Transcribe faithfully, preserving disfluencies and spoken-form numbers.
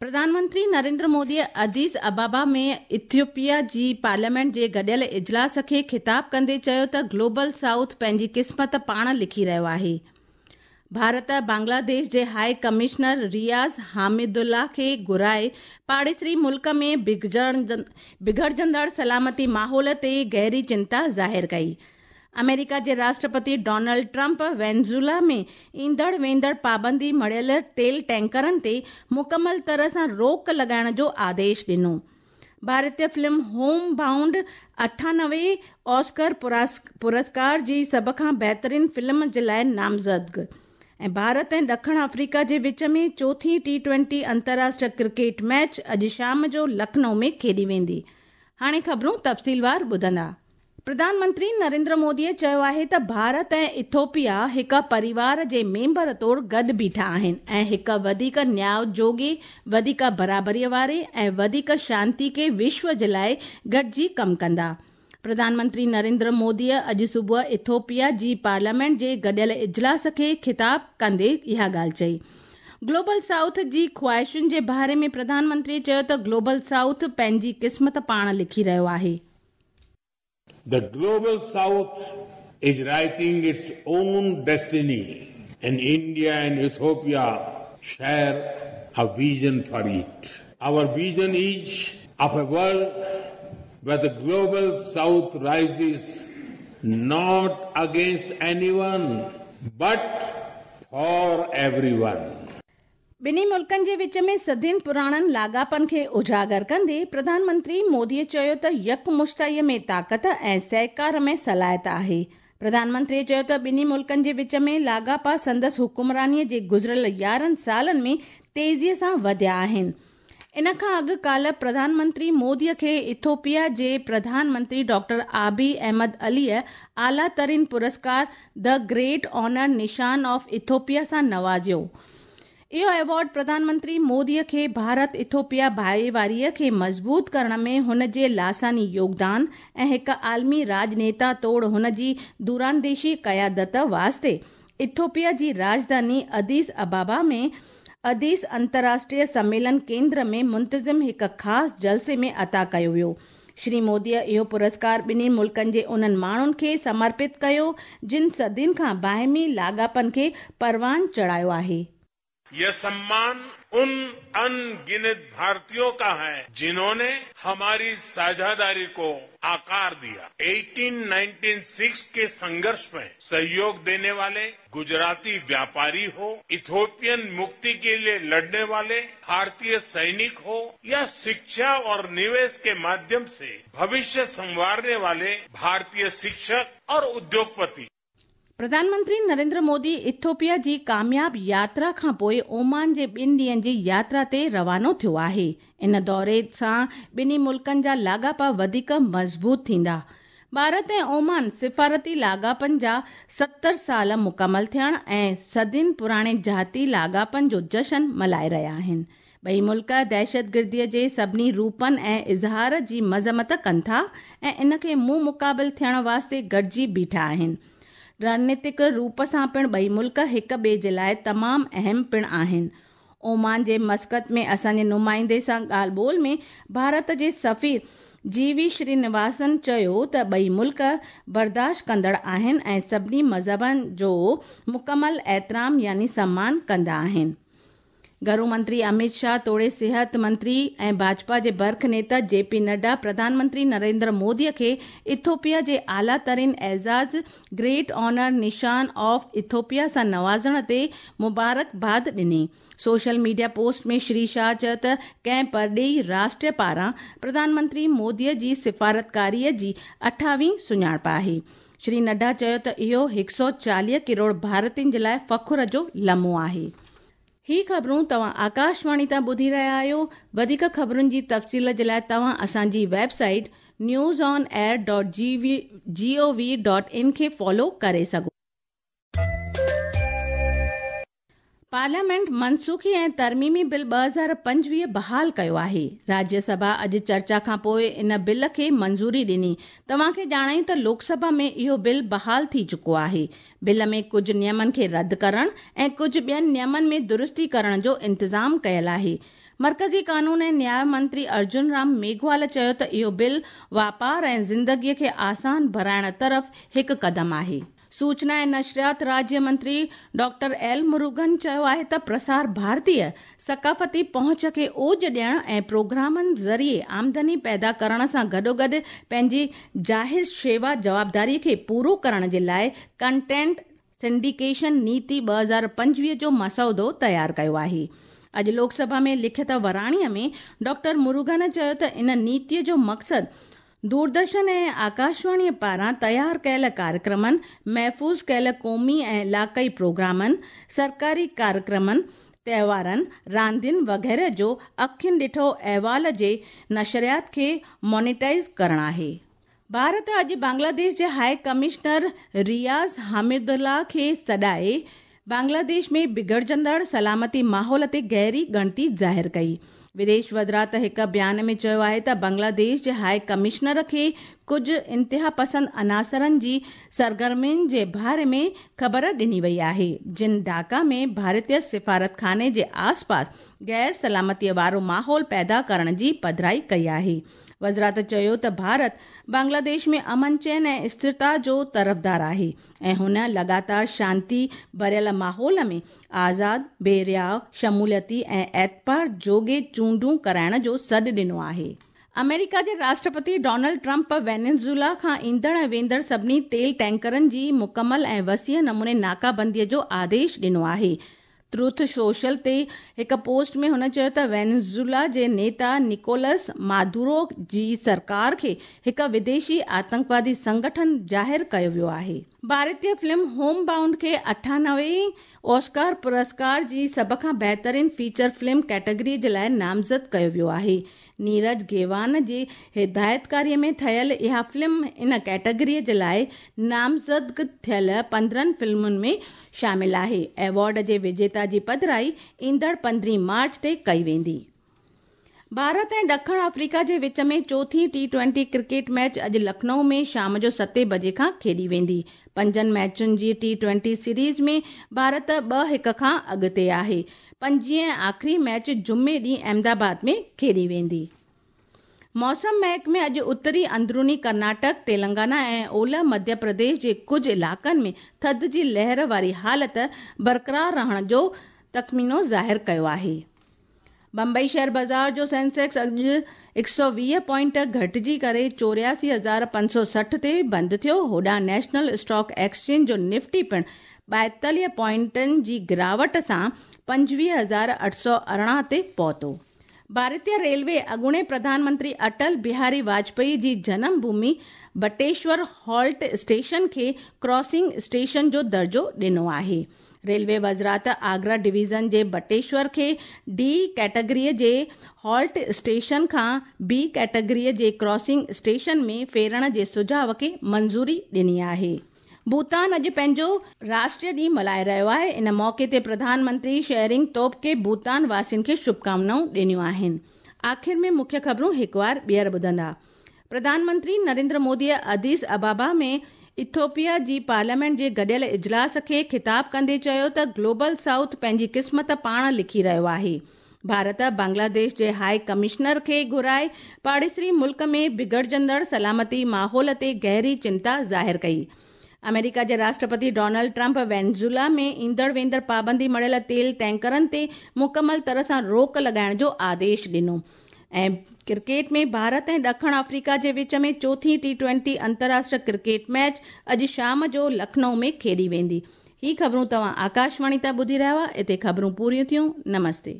प्रधानमंत्री नरेंद्र मोदी अदीस अबाबा में इथियोपिया जी पार्लियामेंट जे गॾियल इजलास खे ख़िताब कंदे चयो त ग्लोबल साउथ पंहिंजी क़िस्मत पाण लिखी रहियो आहे। भारत बांग्लादेश जे हाई कमिश्नर रियाज़ हामिदुल्ला खे घुराए पाड़ेसरी मुल्क में बिगड़जंदड़ सलामती माहौल ते गहरी चिंता ज़ाहिर कई। अमेरिका जे राष्ट्रपति डोनाल्ड ट्रंप वेनेजुएला में ईंदड़ वेंदड़ पाबंदी मढ़ियल तेल टैंकरनि ते मुकमल तरह सां रोक लॻाइण जो आदेश ॾिनो। भारतीय फिल्म होम बाउंड अठानवे ऑस्कर पुरस्कार जी सभ खां बहितरीन फिल्म जे लाइ नामज़द। ऐं भारत ऐं ॾखिण अफ्रीका जे विच में चोथी टी ट्वेंटी अंतर्राष्ट्रीय क्रिकेट मैच अॼु शाम जो लखनऊ में खेॾी वेंदी। हाणे ख़बरूं तफ़सीलवार ॿुधंदा। प्रधानमंत्री नरेंद्र मोदीअ चयो आहे त भारत ऐं इथियोपिया हिकु परिवार जे मेंबर तौर गॾु बीठा आहिनि ऐं हिकु वधीक न्याय जोॻे, वधीक बराबरीअ वारे ऐं वधीक शांति खे विश्व जे लाइ गॾिजी कमु कंदा। प्रधानमंत्री नरेंद्र मोदीअ अॼु सुबुह इथियोपिया जी पार्लियामेंट जे गॾियल इजलास खे ख़िताब कंदे इहा ॻाल्हि चई। ग्लोबल साउथ जी ख़्वाहिशुनि जे बारे में प्रधानमंत्री चयो त ग्लोबल साउथ पंहिंजी क़िस्मत पाण लिखी रहियो आहे। The global South is writing its own destiny, and India and Ethiopia share a vision for it. Our vision is of a world where the global South rises not against anyone, but for everyone. ॿिन्ही मुल्कनि जे विच में सदियुनि पुराणनि लाॻापनि खे उजागर कंदे प्रधानमंत्री मोदीअ चयो त यकमुश्ताईअ में ताक़त ऐं सहकार में सलाहियत आहे। प्रधानमंत्री चयो त ॿिन्ही मुल्कनि जे विच में लाॻापा संदसि हुकुमरानीअ जे गुज़िरियल यारहं सालनि में तेज़ीअ सां वधिया आहिनि। इन खां अॻु काल्ह प्रधानमंत्री मोदीअ खे इथियोपिया जे प्रधानमंत्री डॉक्टर आबी अहमद अलीअ आला तरीन पुरस्कार the great honour Nishan of Ethiopia सां नवाज़ियो। इहो अवार्ड प्रधानमंत्री मोदीअ खे भारत इथियोपिया भाईवारीअ खे मज़बूत करण में हुन जे लासानी योगदान ऐं हिकु आलमी राजनेता तौर हुन जी दूरांदेशी क़यादत वास्ते इथियोपिया जी राजधानी अदीस अबाबा में अदीस अंतर्राष्ट्रीय सम्मेलन केंद्र में मुंतज़िम हिकु ख़ासि जलसे में अता कयो वियो। श्री मोदीअ इहो पुरस्कार ॿिन्ही मुल्कनि जे उन्हनि माण्हुनि खे समर्पित कयो जिन सदियुनि खां बाहिमी लाॻापनि खे परवान चढ़ायो आहे। यह सम्मान उन अनगिनत भारतीयों का है जिन्होंने हमारी साझेदारी को आकार दिया। अठारह सौ छियानवे के संघर्ष में सहयोग देने वाले गुजराती व्यापारी हो, इथियोपियन मुक्ति के लिए लड़ने वाले भारतीय सैनिक हो, या शिक्षा और निवेश के माध्यम से भविष्य संवारने वाले भारतीय शिक्षक और उद्योगपति। प्रधानमंत्री नरेंद्र मोदी इथियोपिया जी कामयाब यात्रा खां पोइ ओमान जे ॿिनि ॾींहनि जी यात्रा ते रवानो थियो आहे। इन दौरे सां ॿिन्ही मुल्कनि जा लाॻापा वधीक मज़बूत थींदा। भारत ऐं ओमान सिफारती लाॻापनि जा सत्तर साल मुकमल थियण ऐं सदियुनि पुराणे जाती लाॻापनि जो जशन मल्हाए रहिया आहिनि। ॿई मुल्क दहशतगिर्दीअ जे सभिनी रूपनि ऐं इज़हार जी मज़म्मत कनि था ऐं इन खे मुंहुं मुक़ाबिल थियण वास्ते गॾिजी बीठा आहिनि। रणनीतिक रूप सां पिणु ॿई मुल्क हिक ॿिए जे लाइ तमामु अहम पिणु आहिनि। ओमान जे मस्कत में असांजे नुमाइंदे सां ॻाल्हि ॿोल में भारत जे सफ़ीर जी we Srinivasan चयो त ॿई मुल्क बर्दाश्त कंदड़ आहिनि ऐं सभिनी मज़हबनि जो मुकमल एहतराम यानी सम्मान कंदा आहिनि। घरू मंत्री अमित शाह तोड़े सिहत मंत्री ऐं भाजपा जे बर्ख नेता जे पी नड्डा प्रधानमंत्री नरेंद्र मोदीअ खे इथियोपिया जे आला तरीन एज़ाज़ great honour Nishan of Ethiopia सां नवाज़ण ते मुबारकबाद ॾिनी। सोशल मीडिया पोस्ट में श्री शाह चयो त कंहिं परॾेही राष्ट्र पारां प्रधानमंत्री मोदीअ जी सिफारतकारीअ जी अठावीं सुञाणप आहे। श्री नड्डा चयो त इहो हिकु सौ चालीह करोड़ भारतीयुनि जे लाइ फ़ख्र जो लम्हो आहे। ही ख़बरूं तव्हां आकाशवाणी तां ॿुधी रहिया आहियो। वधीक ख़बरुनि जी तफ़सील जे लाइ तव्हां असांजी website news on air dot G V G O V dot in खे फॉलो करे सघो। पार्लियामेंट मनसूखी ऐं तरमीमी बिल ॿ हज़ार पंजवीह बहाल कयो आहे। राज्यसभा अॼु चर्चा खां पोइ इन बिल खे मंज़ूरी ॾिनी। तव्हांखे ॼाणायूं त लोकसभा में इहो बिल बहाल थी चुको आहे। बिल में कुझु नियमनि खे रद्द करण ऐं कुझु ॿियनि नियमनि में दुरुस्ती करण जो इंतज़ाम कयल आहे। मर्कज़ी कानून ऐं न्याय मंत्री अर्जुन राम मेघवाल चयो त इहो बिल वापार ऐं ज़िंदगीअ खे आसान बणाइण तरफ़ हिकु क़दम आहे। सूचना ऐं नशरियात राज्य मंत्री डॉक्टर एल मुरुगन चयो आहे त प्रसार भारतीय सकाफ़ती पहुंच खे ओज ॾियण ऐं प्रोग्रामनि ज़रिए आमदनी पैदा करण सां गॾोगॾु पंहिंजी ज़ाहिर शेवा जवाबदारी खे पूरो करण जे लाइ कंटेंट सिंडिकेशन नीति ॿ हज़ार पंजवीह जो मसौदो तयारु कयो आहे। अॼु लोकसभा में लिखित वराणीअ में डॉक्टर मुरुगन चयो त इन नीतीअ जो मक़सदु दूरदर्शन ऐं आकाशवाणीअ पारां तयारु कयल कार्यक्रमनि, महफ़ूज़ कयल क़ौमी ऐं इलाइक़ाई प्रोग्रामनि, सरकारी कार्यक्रमनि, त्योहारनि, रांदियुनि वग़ैरह जो अखियुनि ॾिठो अहवाल जे नशरियात खे मोनिटाइज़ करणु आहे। भारत अॼु बांग्लादेश जे हाई कमिश्नर रियाज़ हामिदुल्ला खे सॾाए बांग्लादेश में बिगड़जंदड़ सलामती माहौल ते गहरी ॻणती ज़ाहिर कई। विदेश वज़ारत हिकु बयान में चयो आहे त बांग्लादेश जे हाई कमिश्नर खे कुझु इंतिहा पसंद अनासरनि जी सरगर्मियुनि जे बारे में ख़बर ॾिनी वई आहे, जिन ढाका में भारतीय सिफारतखाने जे आसपास गैर सलामतीअ वारो माहौल पैदा करण जी पधराई कई आहे। वज़ारत चयो त भारत बांग्लादेश में अमन चैन ऐं स्थिरता जो तरफ़दार आहे ऐं हुन लगातार शांति भरियल माहौल में आज़ाद, बेरियाव, शमूलियती ऐं एतबार जोगे चूंडूं कराइण जो सॾु ॾिनो आहे। अमेरिका जे राष्ट्रपति डोनाल्ड ट्रंप वेनेजुएला खां ईंदड़ ऐं वेंदड़ सभिनी तेल टैंकरनि जी मुकमल ऐं वसीअ नमूने नाकाबंदीअ जो आदेश ॾिनो आहे। ट्रुथ सोशल ते हिकु पोस्ट में हुन चयो त वेनेजुएला जे नेता निकोलस मादुरो जी सरकार खे हिकु विदेशी आतंकवादी संगठन ज़ाहिर कयो वियो आहे। भारतीय फिल्म होम बाउंड खे अठानवे ऑस्कार पुरस्कार जी सभ खां बहितरीन फीचर फिल्म कैटेगरी जे लाइ नामज़द कयो वियो आहे। नीरज घेवान जी हिदायतकारीअ में ठहियल इहा फिल्म इन कैटेगरीअ जे लाइ नामज़द थियल पंद्रहं फिल्मुनि में शामिल आहे। अवॉर्ड जे विजेता जी पधराई ईंदड़ पंद्रहीं मार्च ते कई वेंदी। भारत ऐं ॾखिण अफ्रीका जे विच में चोथी टी ट्वेंटी क्रिकेट मैच अॼु लखनऊ में शाम जो सते बजे खां खेॾी वेंदी। पंजनि मैचुनि जी टी ट्वेंटी सीरीज़ में भारत ॿ हिकु खां अॻिते आहे। पंजीह ऐं आख़िरी मैच जुमे ॾींहुं अहमदाबाद में खेॾी वेंदी। मौसम महकमे अॼु उत्तरी अंदरूनी कर्नाटक, तेलंगाना ऐं ओलह मध्य प्रदेश जे कुझु इलाइक़नि में थधि जी लहर वारी हालत बरक़रार रहण जो तख़मीनो ज़ाहिर कयो आहे। बम्बई शेयर बाज़ार जो सेंसेक्स अॼु हिकु सौ वीह पॉइंट घटिजी करे चोरियासी हज़ार पंज सौ सठि ते बंदि थियो। होॾां नेशनल स्टॉक एक्सचेंज जो निफ्टी पिणु ॿाएतालीह पॉइंटनि जी गिरावट सां पंजवीह हज़ार अठ सौ अरिड़हं ते पहुतो। भारतीय रेलवे अॻूणे प्रधानमंत्री अटल बिहारी वाजपेयी जी जन्मभूमि बटेश्वर हॉल्ट स्टेशन खे क्रॉसिंग स्टेशन जो दर्जो ॾिनो आहे। रेलवे वज़ारत आगरा डिवीज़न जे बटेश्वर खे डी कैटेगरीअ जे हॉल्ट स्टेशन खां बी कैटेगरीअ जे क्रॉसिंग स्टेशन में फेरण जे सुझाव खे मंज़ूरी ॾिनी आहे। भूटान अॼु पंहिंजो राष्ट्रीय ॾींहुं मल्हाए रहियो आहे। इन मौक़े ते प्रधानमंत्री शेरिंग तोबगे भूटान वासियुनि खे शुभकामनाऊं ॾिनियूं आहिनि। आख़िर में मुख्य ख़बरूं हिकु वार ॿीहर ॿुधंदा। प्रधानमंत्री नरेंद्र मोदीअ अदीस अबाबा में इथियोपिया जी पार्लियामेंट जे गॾियल इजलास खे ख़िताब कंदे चयो त ग्लोबल साउथ पंहिंजी क़िस्मत पाण लिखी रहियो आहे। भारत बांग्लादेश जे हाई कमिश्नर खे घुराए पाड़ेसरी मुल्क में बिगड़जंदड़ सलामती माहौल ते गहरी चिंता ज़ाहिर कई। अमेरिका जे राष्ट्रपति डोनाल्ड ट्रंप वेनेजुएला में ईंदड़ वेंदड़ पाबंदी मढ़ियल तेल टैंकरनि ते मुकमल तरह सां रोक लॻाइण जो आदेश ॾिनो। ऐं क्रिकेट में भारत ऐं ॾखिण अफ्रीका जे विच में चोथी टी ट्वेंटी अंतर्राष्ट्रीय क्रिकेट मैच अॼु शाम जो लखनऊ में खेॾी वेंदी। ही ख़बरूं तव्हां आकाशवाणी तां ॿुधी रहिया हुआ। हिते ख़बरूं पूरियूं थियूं। नमस्ते।